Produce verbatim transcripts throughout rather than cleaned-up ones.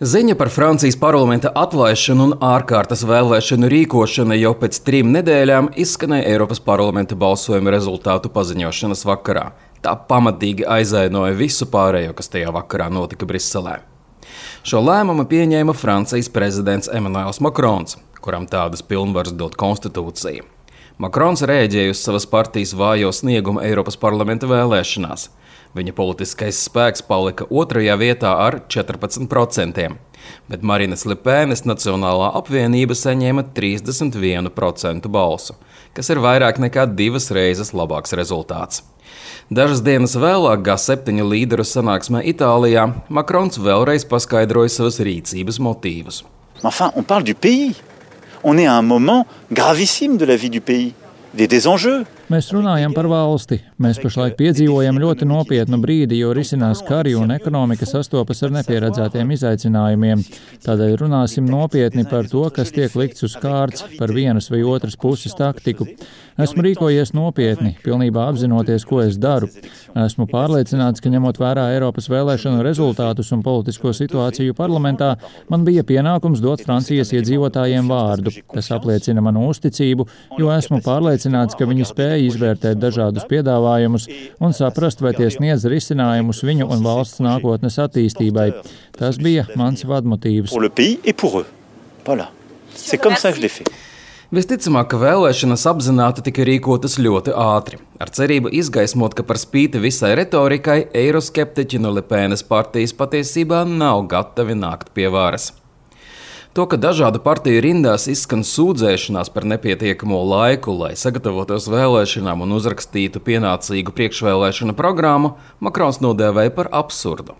Ziņa par Francijas parlamenta atlaišanu un ārkārtas vēlēšanu rīkošanu jau pēc trim nedēļām izskanēja Eiropas parlamenta balsojuma rezultātu paziņošanas vakarā. Tā pamatīgi aizainoja visu pārējo, kas tajā vakarā notika Briselē. Šo lēmumu pieņēma Francijas prezidents Emmanuels Macrons, kuram tādas pilnvaras dod konstitūcija. Macrons rēģēja uz savas partijas vājo sniegumu Eiropas parlamenta vēlēšanās. Viņa politiskais spēks palika otrajā vietā ar četrpadsmit procentiem, bet Marinas Le Penes Nacionālā apvienība saņēma trīsdesmit vienu procentu balsu, kas ir vairāk nekā divas reizes labāks rezultāts. Dažas dienas vēlāk G septiņu līderu sanāksmē Itālijā Macrons vēlreiz paskaidroja savas rīcības motīvus. Enfin, on parle du pays. On est à un moment gravissime de la vie du pays. Des désenjeux. Mēs runājam par valsti. Mēs pašlaik piedzīvojam ļoti nopietnu brīdi, jo risinās kari un ekonomika sastopas ar nepieredzētiem izaicinājumiem. Tādēļ runāsim nopietni par to, kas tiek likts uz kārts, par vienas vai otras puses taktiku. Esmu rīkojies nopietni, pilnībā apzinoties, ko es daru. Esmu pārliecināts, ka ņemot vērā Eiropas vēlēšanu rezultātus un politisko situāciju parlamentā, man bija pienākums dot Francijas iedzīvotājiem vārdu. Tas apliecina manu uzticību, jo esmu pārliecināts, ka viņi spēja izvērtēt dažādus piedāvājumus un saprast, vai tie sniedz risinājumus viņu un valsts nākotnes attīstībai. Tas bija mans vadmotīvs. Visticamāk, ka vēlēšanas apzināti tika rīkotas ļoti ātri, ar cerību izgaismot, ka par spīti visai retorikai eiroskeptiķi no Le Penes partijas patiesībā nav gatavi nākt pie varas. To, ka dažādu partiju rindās izskan sūdzēšanās par nepietiekamo laiku, lai sagatavotos vēlēšanām un uzrakstītu pienācīgu priekšvēlēšanu programmu, Macrons nodēvēja par absurdu.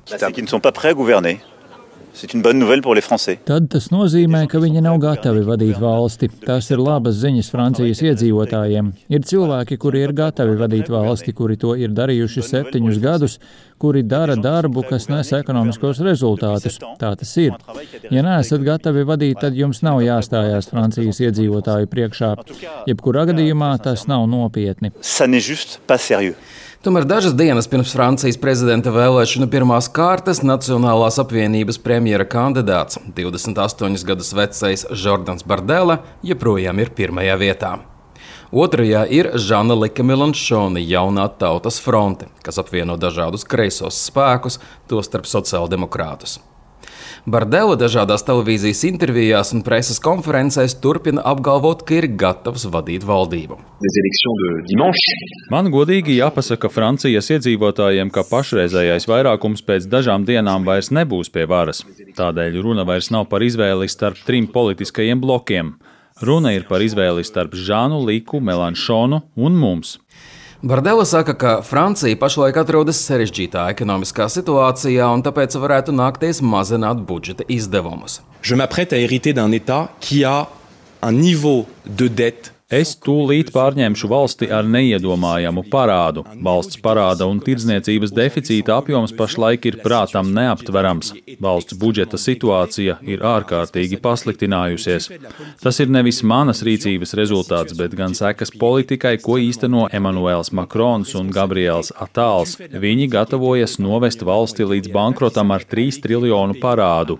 Tad tas nozīmē, ka viņi nav gatavi vadīt valsti. Tas ir labas ziņas Francijas iedzīvotājiem. Ir cilvēki, kuri ir gatavi vadīt valsti, kuri to ir darījuši septiņus gadus, kuri dara darbu, kas nes ekonomiskos rezultātus. Tā tas ir. Ja neesat gatavi vadīt, tad jums nav jāstājās Francijas iedzīvotāju priekšā. Jebkurā gadījumā tas nav nopietni. Tomēr dažas dienas pirms Francijas prezidenta vēlēšanu pirmās kārtas Nacionālās apvienības premjera kandidāts, divdesmit astoņus gadus vecais Jordans Bardella, joprojām ir pirmajā vietā. Otrajā ir Jean-Luc Mélenchon, jaunā tautas fronte, kas apvieno dažādus kreisos spēkus, tostarp sociāldemokrātus. Bardella dažādās televīzijas intervijās un preses konferencēs turpina apgalvot, ka ir gatavs vadīt valdību. Man godīgi jāpasaka Francijas iedzīvotājiem, ka pašreizējais vairākums pēc dažām dienām vairs nebūs pie varas. Tādēļ runa vairs nav par izvēli starp trim politiskajiem blokiem. Runa ir par izvēli starp Jean-Lucu Mélenchonu un mums. Bardella saka, ka Francija pašlaik atrodas sarežģītā ekonomiskā situācijā un tāpēc varētu nākties mazināt budžeta izdevumus. Je m'apprête à hériter d'un État qui a un niveau de dette. Es tūlīt pārņemšu valsti ar neiedomājamu parādu. Valsts parāda un tirdzniecības deficīta apjoms pašlaik ir prātam neaptverams. Valsts budžeta situācija ir ārkārtīgi pasliktinājusies. Tas ir nevis manas rīcības rezultāts, bet gan sekas politikai, ko īsteno Emmanuels Macrons un Gabriels Attāls. Viņi gatavojas novest valsti līdz bankrotam ar trīs triljonu parādu.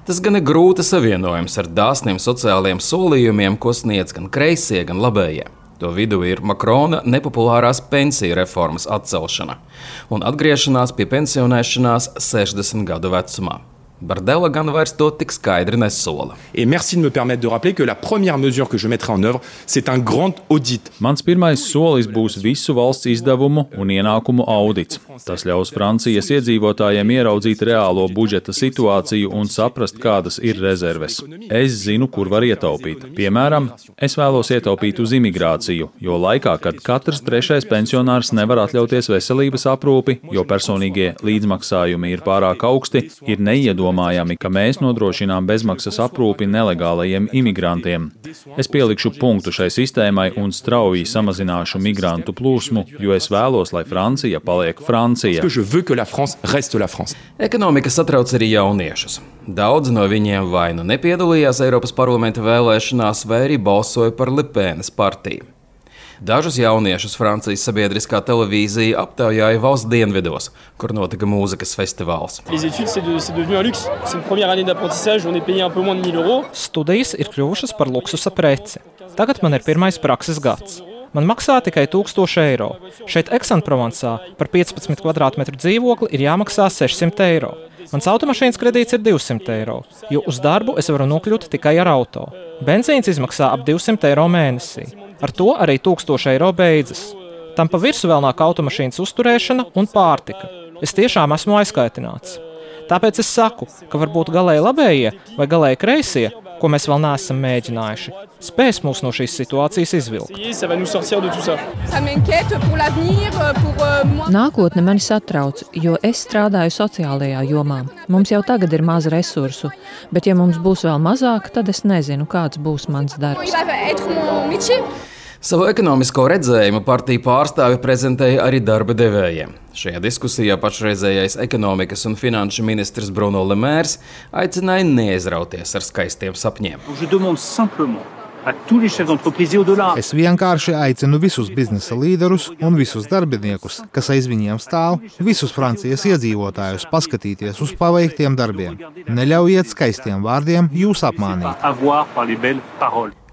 Tas gan ir grūti savienojums ar dāsniem sociālajiem solījumiem, ko sniedz gan kreisie, gan labējie. To vidū ir Macrona nepopulārās pensiju reformas atcelšana un atgriešanās pie pensionēšanās sešdesmit gadu vecumā. Bardella gan vairs to tik skaidri nesola. Et merci de me permettre de rappeler que la première mesure que je mettrai en œuvre, c'est un grand audit. Mans pirmais solis būs visu valsts izdevumu un ienākumu audits. Tas ļaus Francijas iedzīvotājiem ieraudzīt reālo budžeta situāciju un saprast, kādas ir rezerves. Es zinu, kur var ietaupīt. Piemēram, es vēlos ietaupīt uz imigrāciju, jo laikā, kad katrs trešais pensionārs nevar atļauties veselības aprūpi, jo personīgie līdzmaksājumi ir pārāk augsti, ir neiedomājami, ka mēs nodrošinām bezmaksas aprūpi nelegālajiem imigrantiem. Es pielikšu punktu šai sistēmai un strauji samazināšu migrantu plūsmu, jo es vēlos, lai Francija paliek Francija. Ekonomika satrauc arī jauniešus. Daudzi no viņiem vai nu nepiedalījās Eiropas parlamenta vēlēšanās, vai arī balsoja par Le Penes partiju. Dažus jauniešus Francijas sabiedriskā televīzija aptaujāja valsts dienvidos, kur notika mūzikas festivāls. Studijas ir kļuvušas par luksusa preci. Tagad man ir pirmais prakses gads. Man maksā tikai tūkstoši eiro. Šeit Aix-en-Provencā par piecpadsmit kvadrātmetru dzīvokli ir jāmaksā sešsimt eiro. Mans automašīnas kredīts ir divsimt eiro, jo uz darbu es varu nokļūt tikai ar auto. Benzīns izmaksā ap divsimt eiro mēnesī. Ar to arī tūkstoši eiro beidzas. Tam pa virsu vēl nāk automašīnas uzturēšana un pārtika. Es tiešām esmu aizkaitināts. Tāpēc es saku, ka varbūt galēji labējie vai galēji kreisie, ko mēs vēl neesam mēģinājuši, spēs mūs no šīs situācijas izvilkt. Nākotne mani satrauc, jo es strādāju sociālajā jomā. Mums jau tagad ir maz resursu, bet ja mums būs vēl mazāk, tad es nezinu, kāds būs mans darbs. Savu ekonomisko redzējumu partiju pārstāvi prezentēja arī darba devējiem. Šajā diskusijā pašreizējais ekonomikas un finanšu ministrs Bruno Le Maire aicināja neaizrauties ar skaistiem sapņiem. Es vienkārši aicinu visus biznesa līderus un visus darbiniekus, kas aiz viņiem stāv, visus Francijas iedzīvotājus paskatīties uz paveiktiem darbiem. Neļaujiet skaistiem vārdiem jūs apmānīt.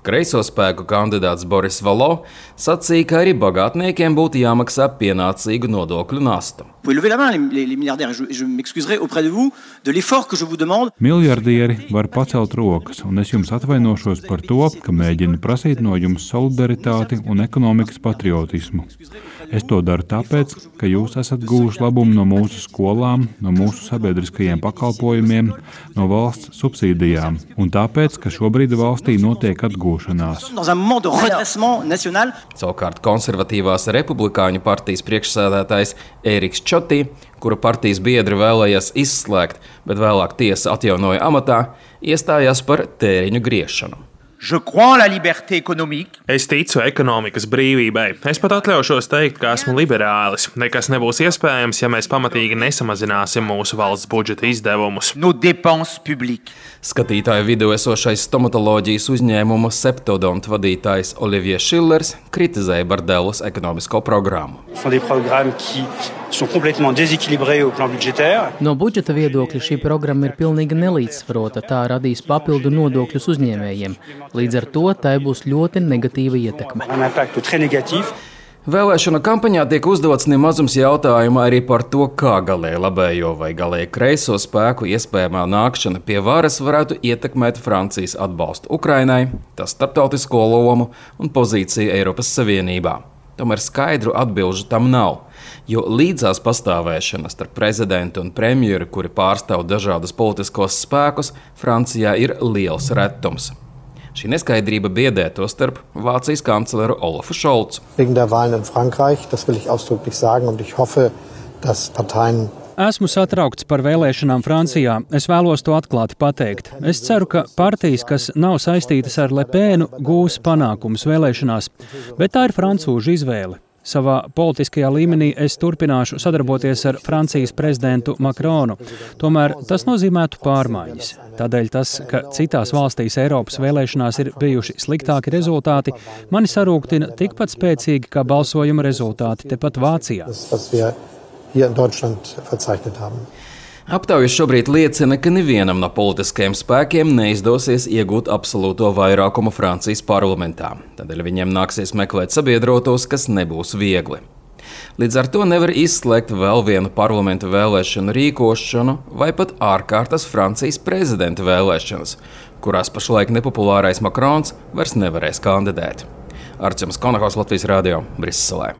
Kreiso spēku kandidāts Boris Vallot sacīja, ka arī bagātniekiem būtu jāmaksā pienācīgu nodokļu nastu. Miljardieri var pacelt rokas, un es jums atvainošos par to, ka mēģinu prasīt no jums solidaritāti un ekonomikas patriotismu. Es to daru tāpēc, ka jūs esat guvuši labumu no mūsu skolām, no mūsu sabiedriskajiem pakalpojumiem, no valsts subsīdijām, un tāpēc, ka šobrīd valstī notiek atgūšanās. Savukārt konservatīvās republikāņu partijas priekšsēdētājs Ēriks Čotī, kura partijas biedri vēlējās izslēgt, bet vēlāk tiesa atjaunoja amatā, iestājās par tēriņu griešanu. Es ticu ekonomikas brīvībai. Es pat atļaušos teikt, ka esmu liberālis. Nekas nebūs iespējams, ja mēs pamatīgi nesamazināsim mūsu valsts budžeta izdevumus. Skatītāju vidū esošais stomatoloģijas uzņēmuma Septodont vadītājs Olivier Schillers kritizēja Bardelas ekonomisko programmu. No budžeta viedokļa šī programma ir pilnīgi nelīdzsvarota. Tā radīs papildu nodokļus uzņēmējiem. Līdz ar to tai būs ļoti negatīva ietekme. Vēlēšanu kampaņā tiek uzdots nemazums jautājumu arī par to, kā galēji labējo vai galēji kreiso spēku iespējamā nākšana pie varas varētu ietekmēt Francijas atbalstu Ukrainai, tās starptautisko lomu un pozīciju Eiropas Savienībā. Tomēr skaidru atbilžu tam nav, jo līdzās pastāvēšana starp prezidentu un premjeru, kuri pārstāv dažādus politiskos spēkus, Francijā ir liels retums. Šī neskaidrība biedē to starp Vācijas kancleru Olafu Šolcu. Esmu satraukts par vēlēšanām Francijā. Es vēlos to atklāti pateikt. Es ceru, ka partijas, kas nav saistītas ar Le Penu, gūs panākumus vēlēšanās, bet tā ir francūžu izvēle. Savā politiskajā līmenī es turpināšu sadarboties ar Francijas prezidentu Macronu. Tomēr tas nozīmētu pārmaiņas. Tādēļ tas, ka citās valstīs Eiropas vēlēšanās ir bijuši sliktāki rezultāti, mani sarūktina tikpat spēcīgi kā balsojuma rezultāti tepat Vācijā. Aptaujas šobrīd liecina, ka nevienam no politiskajiem spēkiem neizdosies iegūt absolūto vairākumu Francijas parlamentā. Tādēļ viņiem nāksies meklēt sabiedrotos, kas nebūs viegli. Līdz ar to nevar izslēgt vēl vienu parlamentu vēlēšanu rīkošanu vai pat ārkārtas Francijas prezidenta vēlēšanas, kurās pašlaik nepopulārais Macrons vairs nevarēs kandidēt. Arčuns Konahaus, Latvijas radio, Briselē.